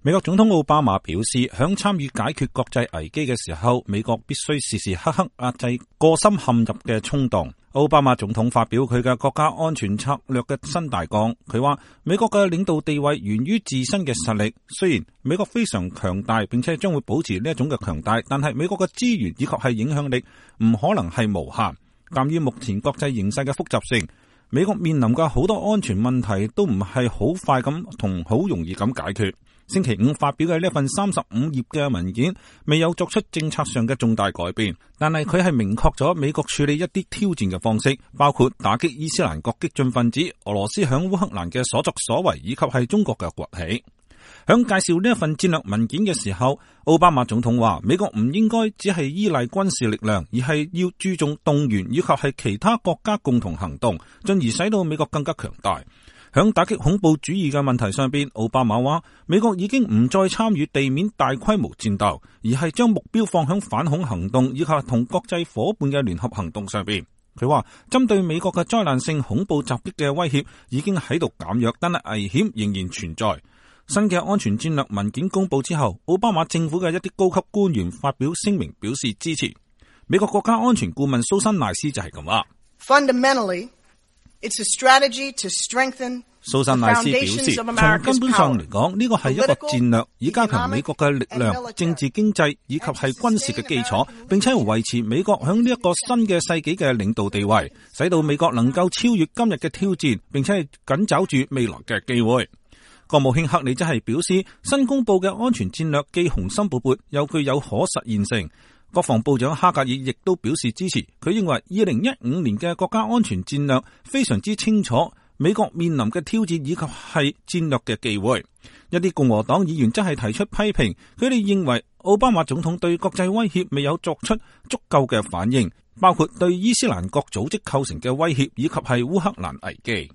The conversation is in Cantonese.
美國總統奧巴馬表示，響參與解決國際危機嘅時候，美國必須時時刻刻壓制個心陷入嘅衝動。奧巴馬總統發表佢嘅國家安全策略嘅新大綱，佢話美國嘅領導地位源於自身嘅實力。雖然美國非常強大，並且將會保持呢一種嘅強大，但係美國嘅資源以及係影響力唔可能係無限。鑒於目前國際形勢嘅複雜性，美國面臨嘅好多安全問題都唔係好快咁同好容易咁解決。星期五發表嘅呢份35頁嘅文件未有作出政策上嘅重大改變，但係佢係明確咗美國處理一啲挑戰嘅方式，包括打擊伊斯蘭國激進分子、俄羅斯響烏克蘭嘅所作所為，以及係中國嘅崛起。響介紹呢一份戰略文件嘅時候，奧巴馬總統話美國唔應該只係依賴軍事力量，而係要注重動員以及係其他國家共同行動，進而使到美國更加強大。響打擊恐怖主義嘅問題上邊，奧巴馬話美國已經唔再參與地面大規模戰鬥，而係將目標放響反恐行動以及同國際夥伴嘅聯合行動上邊。佢話針對美國嘅災難性恐怖襲擊嘅威脅已經喺度減弱，但係危險仍然存在。新嘅安全戰略文件公布之後，奧巴馬政府嘅一啲高級官員發表聲明表示支持。美國國家安全顧問蘇珊賴斯就係咁話。Fundamentally, it's a strategy to strengthen。蘇珊賴斯表示，從根本上嚟講，呢個係一個戰略，以加強美國嘅力量、政治、經濟以及係軍事嘅基礎，並且維持美國響呢一個新嘅世紀嘅領導地位，使到美國能夠超越今日嘅挑戰，並且係緊抓住未來嘅機會。國務卿克里則係表示，新公布嘅安全戰略既雄心勃勃，又具有可實現性。國防部長哈格爾亦都表示支持，佢認為2015年嘅國家安全戰略非常之清楚美國面臨嘅挑戰以及係戰略嘅機會。一啲共和黨議員則係提出批評，佢哋認為奧巴馬總統對國際威脅未有作出足夠嘅反應，包括對伊斯蘭國組織構成嘅威脅以及係烏克蘭危機。